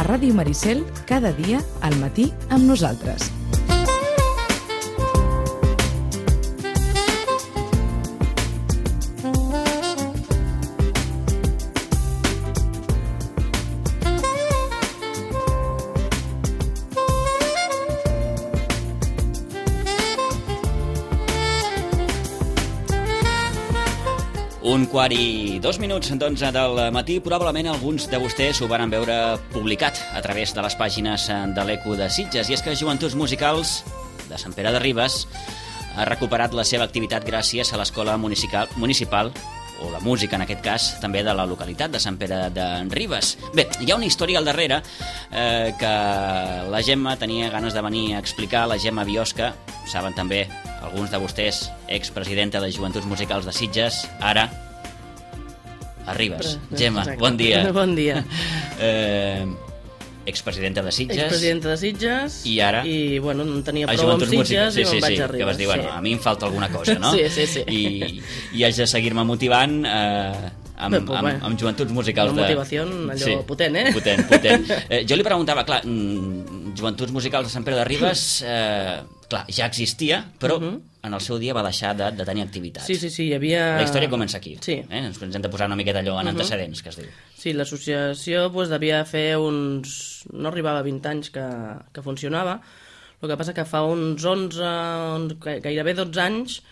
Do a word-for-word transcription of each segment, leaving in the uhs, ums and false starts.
Ràdio Maricel, cada dia al matí amb nosaltres. Un quart i dos minuts d'onze del matí. Probablement alguns de vostès ho van veure publicat a través de les pàgines de l'Eco de Sitges. I és que Joventuts Musicals de Sant Pere de Ribes ha recuperat la seva activitat gràcies a l'Escola Municipal, municipal o la música, en aquest cas, també de la localitat de Sant Pere de Ribes. Bé, hi ha una història al darrere eh, que la Gemma tenia ganes de venir a explicar. La Gemma Biosca, saben també alguns de vostès, expresidenta de Joventuts Musicals de Sitges, ara a Ribes. Gemma, exacte. Bon dia. Bon dia. Eh, expresidenta de Sitges. Expresidenta de Sitges. I ara? I, bueno, no tenia prou amb Sitges sí, i sí, me'n vaig sí, a Ribes. Que vas dir, bueno, sí. a mi em falta alguna cosa, no? Sí, sí, sí. I, i haig de seguir-me motivant eh, amb, Bé, pues, amb, amb Joventuts Musicals una de... motivació allò sí, potent, eh? Potent, potent. Eh, jo li preguntava, clar, mm, Joventuts Musicals de Sant Pere de Ribes, eh, clar, ja existia, però uh -huh. en el seu dia va deixar de, de tenir activitat. Sí, sí, sí, hi havia... La història comença aquí. Sí. Eh? Ens hem de posar una miqueta allò en uh -huh. antecedents, que es diu. Sí, l'associació pues, devia fer uns... no arribava a vint anys que, que funcionava. El que passa que fa uns onze, gairebé dotze anys,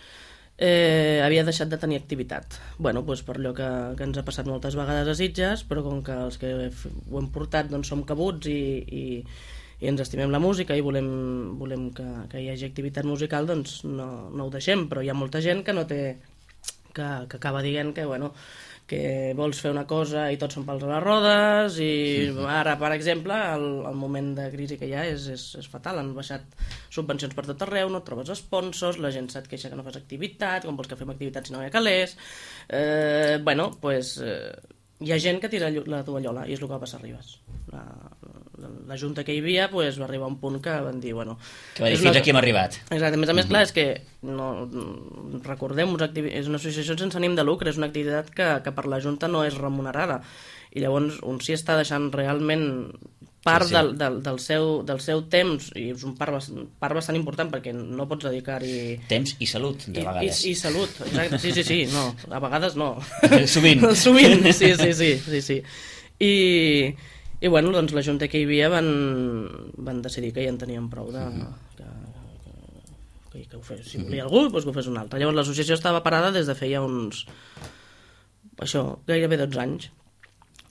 eh, havia deixat de tenir activitat. Bueno, doncs per allò que, que ens ha passat moltes vegades a Sitges, però com que els que ho hem portat doncs, som cabuts i, i, i ens estimem la música i volem, volem que, que hi hagi activitat musical, doncs no, no ho deixem, però hi ha molta gent que no té... que, que acaba dient que, bueno, que vols fer una cosa i tots són pals a les rodes i ara, per exemple, el, el moment de crisi que hi ha és, és, és fatal. Han baixat subvencions per tot arreu, no et trobes sponsors, la gent se't queixa que no fas activitat, com vols que fem activitat si no hi ha calés... Eh, bueno, doncs pues, eh, hi ha gent que tira la tovallola i és el que va passar a Ribes. La, la, la junta que hi havia pues, va arribar a un punt que van dir, bueno... Que va dir, fins una... aquí hem arribat. Exacte, a més a més, uh -huh. clar, és que no, recordem, és una associació sense ànim de lucre, és una activitat que, que per la junta no és remunerada, i llavors un sí està deixant realment part sí, sí. Del, del, del, seu, del seu temps, i és un part, part bastant important perquè no pots dedicar-hi... Temps i salut, de vegades. I, i, i salut, exacte, sí, sí, sí, no, a vegades no. Sovint. Sovint, sí, sí, sí, sí, sí. I, i bueno, doncs la junta que hi havia van, van decidir que ja en tenien prou de... Que, que, que ho fes. Si volia algú, doncs que ho fes un altre. Llavors l'associació estava parada des de feia uns... això, gairebé dotze anys.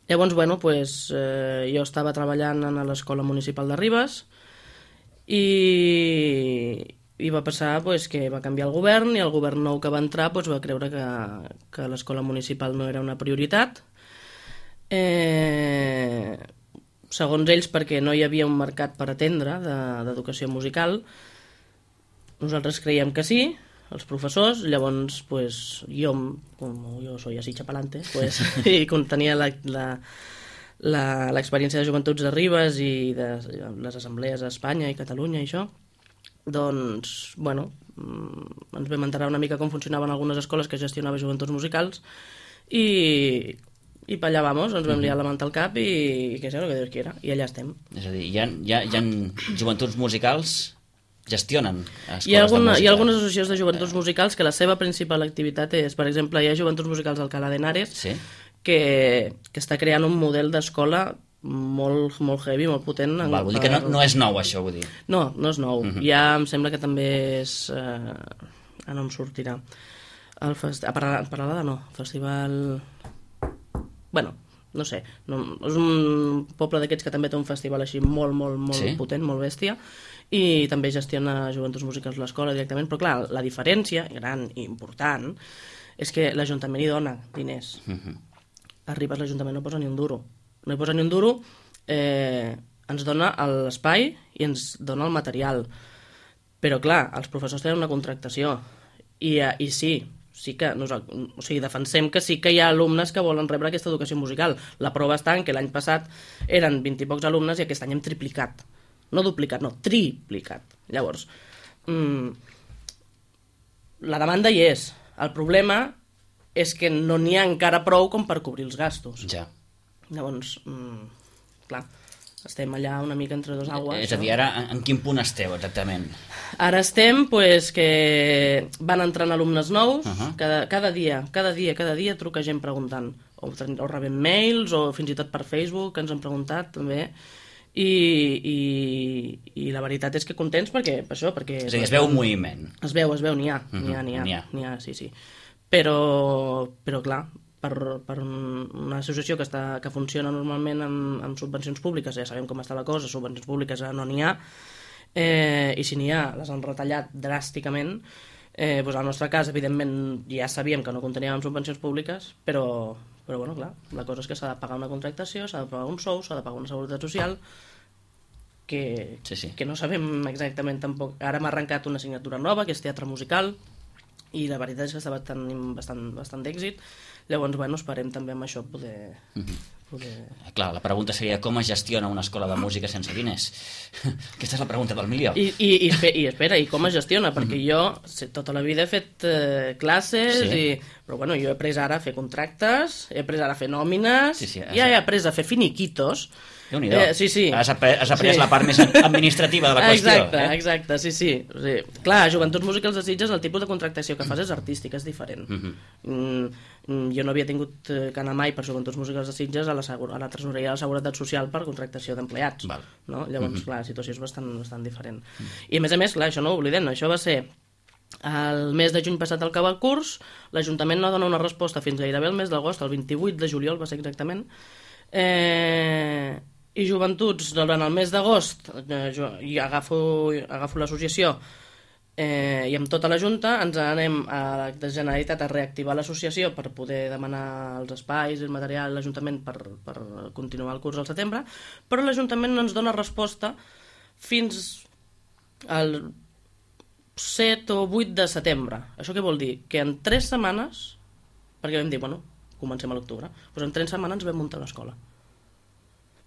Llavors, bueno, pues, eh, jo estava treballant a l'Escola Municipal de Ribes i, i va passar pues, que va canviar el govern i el govern nou que va entrar pues, va creure que, que l'Escola Municipal no era una prioritat. Eh, segons ells, perquè no hi havia un mercat per atendre d'educació musical. Nosaltres creiem que sí, els professors, llavors pues, jo, com jo soy así chapalante, pues, i com tenia l'experiència de Joventuts de Ribes i de les assemblees a Espanya i Catalunya i això, doncs, bueno, ens vam enterar una mica com funcionaven algunes escoles que gestionava Joventuts Musicals i, i per allà vamos, ens vam liar la manta al cap i, i què sé, el que Déu quiera, i allà estem. És a dir, hi ha, hi ha, hi ha Joventuts Musicals gestionen escoles hi ha, alguna, de música. Hi ha algunes associacions de joventuts musicals que la seva principal activitat és, per exemple, hi ha Joventuts Musicals d'Alcalá de Henares, sí? que, que està creant un model d'escola molt, molt heavy, molt potent. Val, vull dir que no, no és nou, això, vull dir. No, no és nou. Uh -huh. Ja em sembla que també és... Eh, ah, no em sortirà. El fest... A Paralada no, festival... Bueno, no sé. No, és un poble d'aquests que també té un festival així molt, molt, molt sí? potent, molt bèstia, i també gestiona Joventuts Musicals l'escola directament, però clar, la diferència, gran i important, és que l'Ajuntament hi dona diners. Uh -huh. A Ribes l'Ajuntament no posa ni un duro. No hi posa ni un duro, eh, ens dona l'espai i ens dona el material. Però clar, els professors tenen una contractació, i, i sí, sí que nosaltres, o sigui, defensem que sí que hi ha alumnes que volen rebre aquesta educació musical. La prova està en que l'any passat eren vint i pocs alumnes i aquest any hem triplicat. No duplicat, no, triplicat. Llavors, mmm, la demanda hi és. El problema és que no n'hi ha encara prou com per cobrir els gastos. Ja. Llavors, mmm, clar, estem allà una mica entre dos aigües. És a dir, ara en quin punt esteu exactament? Ara estem, pues, que van entrant alumnes nous, uh -huh. cada, cada dia, cada dia, cada dia truca gent preguntant, o, o rebem mails, o fins i tot per Facebook, que ens han preguntat també, i, i, i la veritat és que contents perquè, per això, perquè... És a dir, es veu un moviment. Es veu, es veu, n'hi ha, uh -huh. n'hi ha, n'hi ha, n'hi ha. n'hi ha, sí, sí. Però, però clar, per, per una associació que, està, que funciona normalment amb, amb subvencions públiques, ja sabem com està la cosa, subvencions públiques no n'hi ha, eh, i si n'hi ha, les han retallat dràsticament. Eh, doncs al nostre cas, evidentment, ja sabíem que no conteníem subvencions públiques, però, però bueno, clar, la cosa és que s'ha de pagar una contractació, s'ha de pagar un sou, s'ha de pagar una seguretat social, que, sí, sí. que no sabem exactament tampoc. Ara m'ha arrencat una assignatura nova, que és teatre musical, i la veritat és que està tenint bastant, bastant d'èxit. Llavors, bueno, esperem també amb això poder... Mm-hmm. poder... Clar, la pregunta seria com es gestiona una escola de música sense diners? Aquesta és la pregunta del milió. I, i, i, i espera, i com es gestiona? Perquè jo tota la vida he fet eh, classes, sí. i, però bueno, jo he après ara a fer contractes, he après ara a fer nòmines, sí, sí, ja he après a fer finiquitos. Déu-n'hi-do. Eh, sí, sí. Has après, has après sí. la part més administrativa de la qüestió. Exacte, eh? exacte, sí, sí. O sigui, clar, Joventuts Musicals de Sitges, el tipus de contractació que fas és artístic, és diferent. Uh-huh. mm, jo no havia tingut que anar mai per Joventuts Musicals de Sitges a la, a la tresoreria de la Seguretat Social per contractació d'empleats. No? Llavors, uh-huh. clar, la situació és bastant, bastant diferent. Uh-huh. I a més a més, clar, això no ho oblidem, això va ser el mes de juny passat al acabar el curs, l'Ajuntament no dona una resposta fins gairebé el mes d'agost, el vint-i-vuit de juliol va ser exactament, eh... i Joventuts, durant el mes d'agost, eh, i agafo, agafo l'associació eh, i amb tota la Junta ens anem a la Generalitat a reactivar l'associació per poder demanar els espais i el material a l'Ajuntament per, per continuar el curs al setembre, però l'Ajuntament no ens dona resposta fins al set o vuit de setembre. Això què vol dir? Que en tres setmanes, perquè vam dir, bueno, comencem a l'octubre, doncs en tres setmanes vam muntar una escola.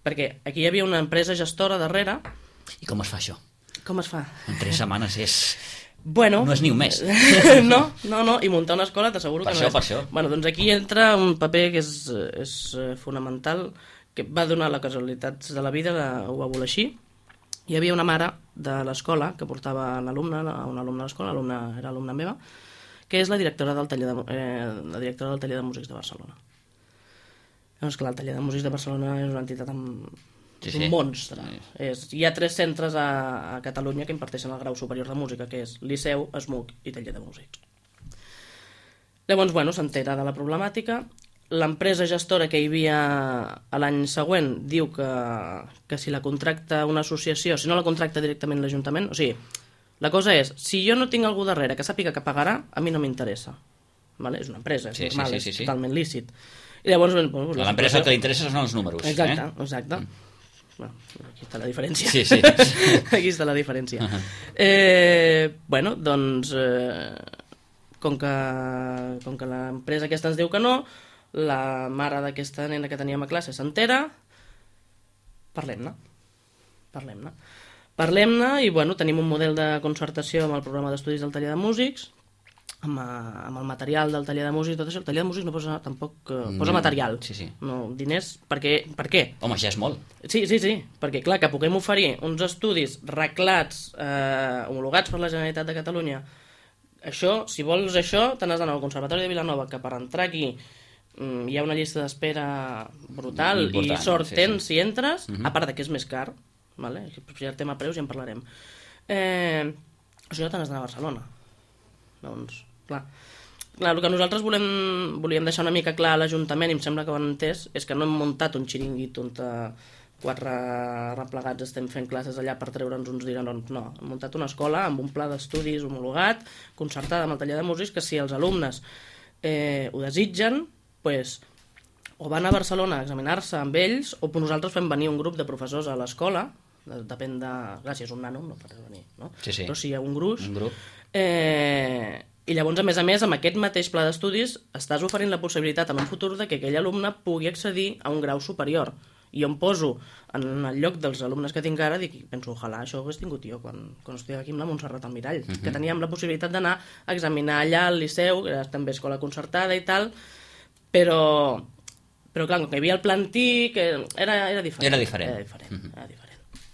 Perquè aquí hi havia una empresa gestora darrere. I com es fa això? Com es fa? En tres setmanes és... Bueno, no és ni un mes. no, no, no, i muntar una escola t'asseguro que per no això, és. Per això. Bueno, doncs aquí entra un paper que és, és fonamental, que va donar la casualitat de la vida, ho va voler així. Hi havia una mare de l'escola que portava l'alumne, una alumna a l'escola, l'alumna era alumna meva, que és la directora del taller de, eh, la directora del taller de músics de Barcelona. Doncs clar, el taller de músics de Barcelona és una entitat amb sí, sí. un monstre. Sí. És, hi ha tres centres a, a Catalunya que imparteixen el grau superior de música, que és Liceu, ESMUC i taller de músics. Llavors, bueno, s'entera de la problemàtica. L'empresa gestora que hi havia l'any següent diu que, que si la contracta una associació, si no la contracta directament l'Ajuntament, o sigui, la cosa és, si jo no tinc algú darrere que sàpiga que pagarà, a mi no m'interessa. Vale? És una empresa, és sí, normal, sí, sí, sí, és sí. totalment lícit. I llavors, bueno, a l'empresa el que li interessa són els números. Exacte, eh? exacte. Mm. Bueno, aquí està la diferència. Sí, sí. Aquí està la diferència. Uh-huh. eh, bueno, doncs, eh, com que, com que l'empresa aquesta ens diu que no, la mare d'aquesta nena que teníem a classe s'entera, parlem-ne. Parlem-ne. Parlem-ne i, bueno, tenim un model de concertació amb el programa d'estudis del taller de músics, amb, amb el material del taller de músics, tot això. El taller de músics no posa tampoc uh, posa material, sí, sí. no diners, perquè, per què? Home, ja és molt. Sí, sí, sí, perquè clar, que puguem oferir uns estudis reglats, eh, homologats per la Generalitat de Catalunya, això, si vols això, te n'has d'anar al Conservatori de Vilanova, que per entrar aquí mm, hi ha una llista d'espera brutal important, i sort tens sí, sí. si entres, uh-huh. a part de que és més car, vale? Si el tema preus ja en parlarem. Eh, això te n'has d'anar a Barcelona. Doncs, clar. Clar, el que nosaltres volem, volíem deixar una mica clar a l'Ajuntament, i em sembla que ho han entès, és que no hem muntat un xiringuit on quatre replegats estem fent classes allà per treure'ns uns dinerons. No, hem muntat una escola amb un pla d'estudis homologat, concertada amb el taller de músics, que si els alumnes eh, ho desitgen, pues, o van a Barcelona a examinar-se amb ells, o nosaltres fem venir un grup de professors a l'escola, depèn de... Clar, si és un nano no pot venir, no? Sí, sí. Però si hi ha un gruix... Un grup. Eh, I llavors, a més a més, amb aquest mateix pla d'estudis estàs oferint la possibilitat en un futur de que aquell alumne pugui accedir a un grau superior. I jo em poso en el lloc dels alumnes que tinc ara i penso, ojalà això ho hagués tingut jo quan, quan estudiava aquí amb la Montserrat Almirall, uh-huh. que teníem la possibilitat d'anar a examinar allà al Liceu, que era també escola concertada i tal, però Però clar, com que hi havia el pla antic, era, era diferent. Era diferent. Era diferent, mm-hmm. era diferent.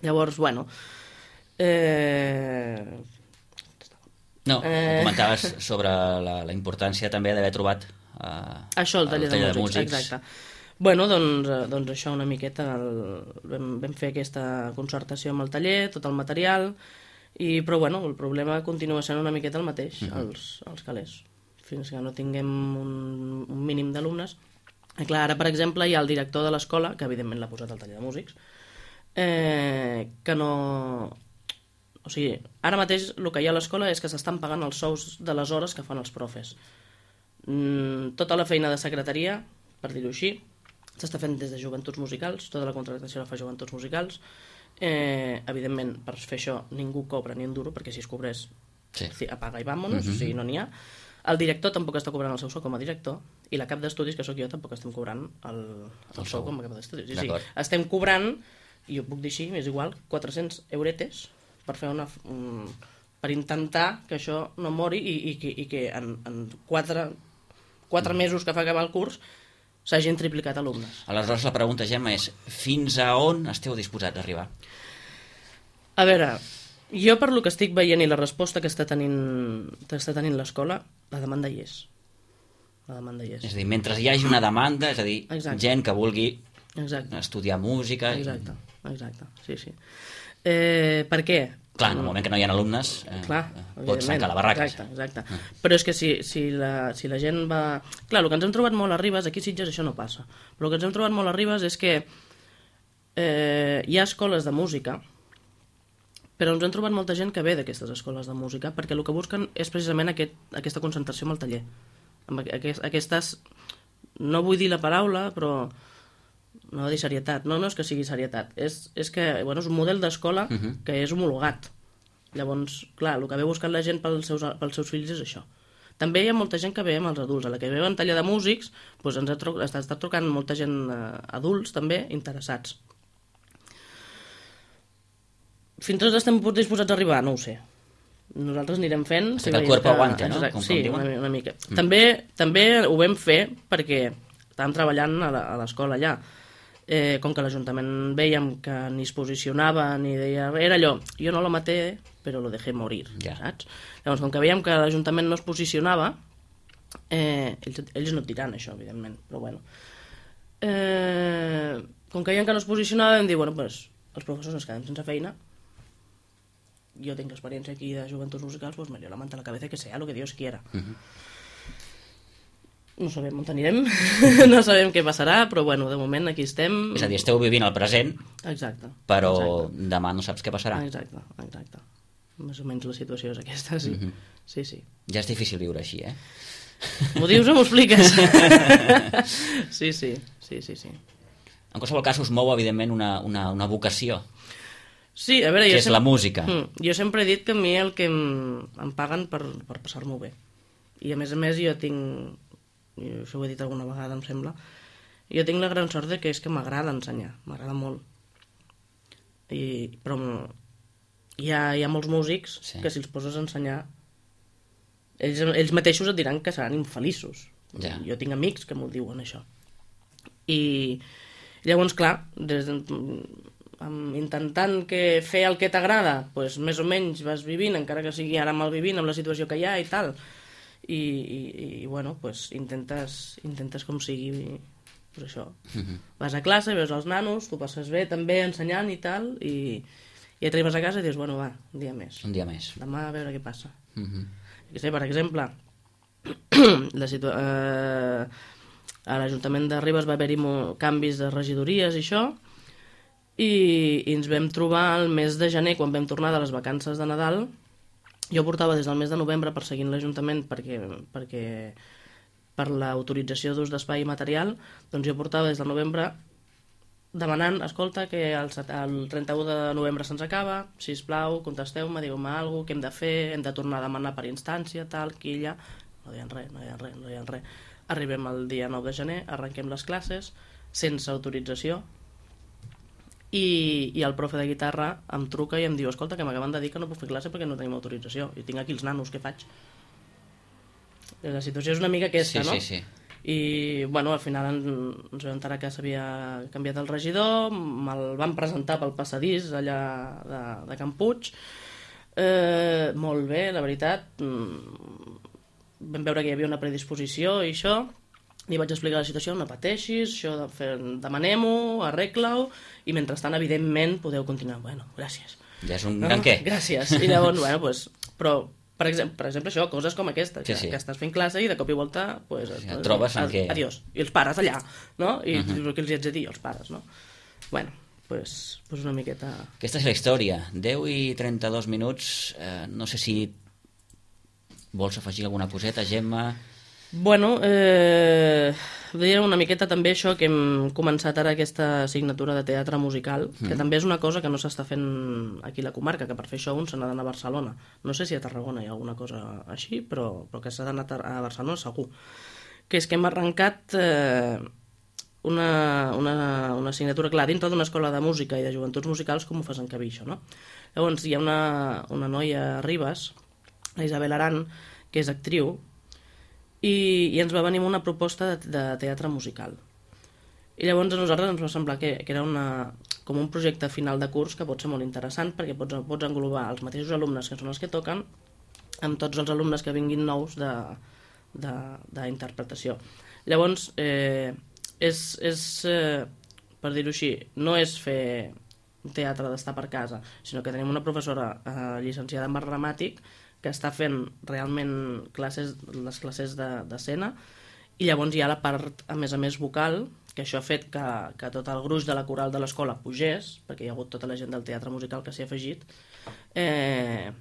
Llavors, bueno... Eh... No, eh... comentaves sobre la, la importància també d'haver trobat eh, això, el taller, el taller de, músics, de músics. Exacte. Bueno, doncs, doncs això una miqueta, el, vam, vam fer aquesta concertació amb el taller, tot el material, i, però bueno, el problema continua sent una miqueta el mateix, mm-hmm. els, els calés, fins que no tinguem un, un mínim d'alumnes. I clar, ara, per exemple, hi ha el director de l'escola, que evidentment l'ha posat al taller de músics, eh, que no... O sigui, ara mateix el que hi ha a l'escola és que s'estan pagant els sous de les hores que fan els profes. Mm, tota la feina de secretaria, per dir-ho així, s'està fent des de joventuts musicals, tota la contractació la fa joventuts musicals. Eh, evidentment, per fer això ningú cobra ni un duro, perquè si es cobrés, sí. apaga i vámonos, mm-hmm. o sigui, no n'hi ha. El director tampoc està cobrant el seu sou com a director i la cap d'estudis, que sóc jo, tampoc estem cobrant el, el, el sou com a cap d'estudis. Sí, sí, estem cobrant, i ho puc dir així, és igual, quatre-cents euretes per fer una... Un, per intentar que això no mori i, i, i, i que en, en quatre, quatre mm. mesos que fa acabar el curs s'hagin triplicat alumnes. Aleshores la pregunta, Gemma, és fins a on esteu disposats a arribar? A veure... Jo, per lo que estic veient i la resposta que està tenint, que està tenint l'escola, la demanda hi és. La demanda hi és. És a dir, mentre hi hagi una demanda, és a dir, exacte. Gent que vulgui exacte. Estudiar música... Exacte, exacte, sí, sí. Eh, per què? Clar, en el moment que no hi ha alumnes, eh, Clar, pots tancar la barraca. Exacte, exacte. Ah. Però és que si, si, la, si la gent va... Clar, el que ens hem trobat molt a Ribes, aquí a Sitges això no passa, però el que ens hem trobat molt a Ribes és que eh, hi ha escoles de música, però ens hem trobat molta gent que ve d'aquestes escoles de música perquè el que busquen és precisament aquest, aquesta concentració amb el taller. Amb aquest, aquestes, no vull dir la paraula, però no vull dir serietat. No, no és que sigui serietat. És, és que bueno, és un model d'escola uh-huh. que és homologat. Llavors, clar, el que ve buscant la gent pels seus, pels seus fills és això. També hi ha molta gent que ve amb els adults. A la que ve en taller de músics doncs ens ha tro- està, està trucant molta gent eh, adults també interessats. Fins on estem disposats a arribar? No ho sé. Nosaltres anirem fent... Si que el cuerpo que... aguante, no? Exacte, com, sí, com una, una mica. Mm. També, també ho vam fer perquè estàvem treballant a, la, a l'escola allà. Eh, com que l'Ajuntament veiem que ni es posicionava ni deia... Era allò, jo no lo maté, però lo dejé morir, ja. Saps? Llavors, com que veiem que l'Ajuntament no es posicionava, eh, ells, ells no et diran això, evidentment, però bueno. Eh, com que veiem que no es posicionava, vam dir, bueno, pues, els professors ens quedem sense feina, yo tengo experiencia aquí de juventuds musicals, pues me dio la manta a la cabeza que sea lo que Dios quiera. Uh-huh. No sabem on anirem, no sabem què passarà, però bueno, de moment aquí estem. És a dir, esteu vivint el present, exacte, però exacte. Demà no saps què passarà. Exacte, exacte. Més o menys la situació és aquesta, sí. Uh-huh. Sí, sí. Ja és difícil viure així, eh? M'ho dius o m'ho expliques? sí, sí, sí, sí, sí. En qualsevol cas us mou, evidentment, una, una, una vocació. Sí, a veure, que jo és sempre, la música. Jo sempre he dit que a mi el que em, em paguen per, per passar-m'ho bé. I a més a més jo tinc, jo això ho he dit alguna vegada em sembla, jo tinc la gran sort de que és que m'agrada ensenyar, m'agrada molt. I, però hi ha, hi ha molts músics sí. que si els poses a ensenyar ells, ells mateixos et diran que seran infeliços. Ja. Jo tinc amics que m'ho diuen això. I llavors, clar, des de... intentant que fer el que t'agrada, pues, més o menys vas vivint, encara que sigui ara mal vivint amb la situació que hi ha i tal, i, i, i bueno, pues, intentes, intentes com sigui pues això. Uh-huh. Vas a classe, veus els nanos, tu passes bé també ensenyant i tal, i, i et arribes a casa i dius, bueno, va, un dia més. Un dia més. Demà a veure què passa. Uh-huh. Que sé, per exemple, la situa- eh, a l'Ajuntament de Ribes va haver-hi mo- canvis de regidories i això, i, i ens vam trobar el mes de gener, quan vam tornar de les vacances de Nadal. Jo portava des del mes de novembre perseguint l'Ajuntament perquè, perquè per l'autorització d'ús d'espai i material, doncs jo portava des del novembre demanant, escolta, que el, el trenta-u de novembre se'ns acaba, sisplau, contesteu-me, digueu-me alguna cosa, què hem de fer, hem de tornar a demanar per instància, tal, quilla. No deien res, no deien res, no deien res. Arribem el dia nou de gener, arrenquem les classes, sense autorització, I, i el profe de guitarra em truca i em diu, escolta, que m'acaben de dir que no puc fer classe perquè no tenim autorització i tinc aquí els nanos, què faig? La situació és una mica aquesta, sí, no? Sí, sí. I, bueno, al final ens, ens vam enterar que s'havia canviat el regidor, me'l van presentar pel passadís allà de, de Can Puig. Eh, molt bé, la veritat. Vam veure que hi havia una predisposició i això. Li vaig explicar la situació, no pateixis, això de fer, demanem-ho, arregla-ho, i mentrestant, evidentment, podeu continuar. Bueno, gràcies. Ja és un gran què. Gràcies. I llavors, bueno, pues, però, per exemple, per exemple, això, coses com aquesta, que, sí, sí. que estàs fent classe i de cop i volta, pues, sí, et trobes en què... Adiós. I els pares allà, no? I uh Mhm. -huh. Què els hi haig de dir, els pares, no? Bueno, pues, pues una miqueta... Aquesta és la història. deu i trenta-dos minuts. Eh, no sé si vols afegir alguna coseta, Gemma... Bueno, eh, deia una miqueta també això que hem començat ara aquesta assignatura de teatre musical, que mm. també és una cosa que no s'està fent aquí a la comarca, que per fer això un se n'ha d'anar a Barcelona. No sé si a Tarragona hi ha alguna cosa així, però, però que s'ha d'anar a Barcelona segur. Que és que hem arrencat eh, una, una, una assignatura, clar, dintre d'una escola de música i de joventuts musicals, com ho fas en Cabí, això, no? Llavors hi ha una, una noia a Ribes, la Isabel Aran, que és actriu, I, i ens va venir una proposta de, de teatre musical. I llavors a nosaltres ens va semblar que, que era una, com un projecte final de curs que pot ser molt interessant perquè pots, pots englobar els mateixos alumnes que són els que toquen amb tots els alumnes que vinguin nous d'interpretació. Llavors, eh, és, és eh, per dir-ho així, no és fer teatre d'estar per casa, sinó que tenim una professora eh, llicenciada en art dramàtic que està fent realment classes, les classes d'escena, i llavors hi ha la part, a més a més, vocal, que això ha fet que, que tot el gruix de la coral de l'escola pugés, perquè hi ha hagut tota la gent del teatre musical que s'hi ha afegit, eh,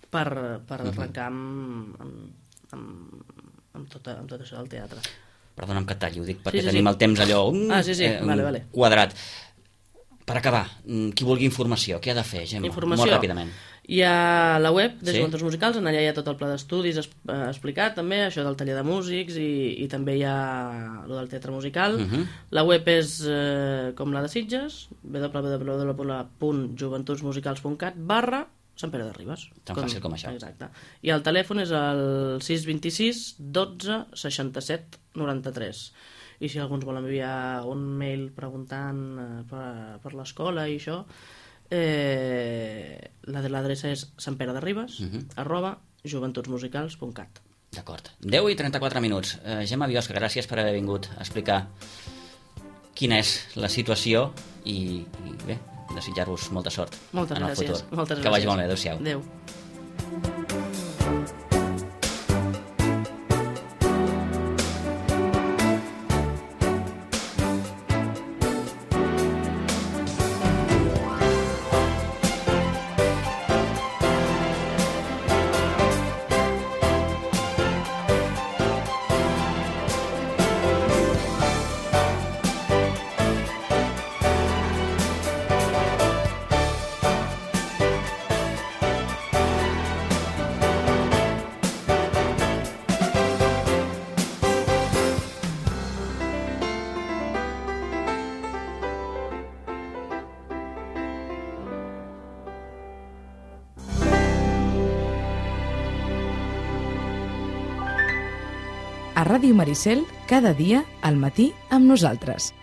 per, per arrencar amb, amb, amb, amb, tot, amb tot això del teatre. Perdona'm que et talli, ho dic perquè sí, sí, tenim sí. el temps allò um, ah, sí, sí. eh, vale, vale. quadrat. Per acabar, qui vulgui informació, què ha de fer, Gemma? Informació. Molt ràpidament. Hi ha la web de sí? Joventuts Musicals, en allà hi ha tot el pla d'estudis explicat també, això del taller de músics, i, i també hi ha el del teatre musical. Uh -huh. La web és eh, com la de Sitges, w w w punt joventutsmusicals punt cat barra Sant Pere de Ribes. Tan com, fàcil com això. Exacte. I el telèfon és el sis dos sis dotze seixanta-set noranta-tres. I si algú ens vol enviar un mail preguntant eh, per, per l'escola i això, eh, l'adreça és santperederribes uh -huh. arroba joventutsmusicals punt cat. D'acord. deu i trenta-quatre minuts. Eh, Gemma Biosca, gràcies per haver vingut a explicar quina és la situació i, i bé, desitjar-vos molta sort moltes en el gràcies. futur. Moltes que gràcies. vagi molt bé. Adéu-siau. Adéu. A Ràdio Maricel, cada dia, al matí, amb nosaltres.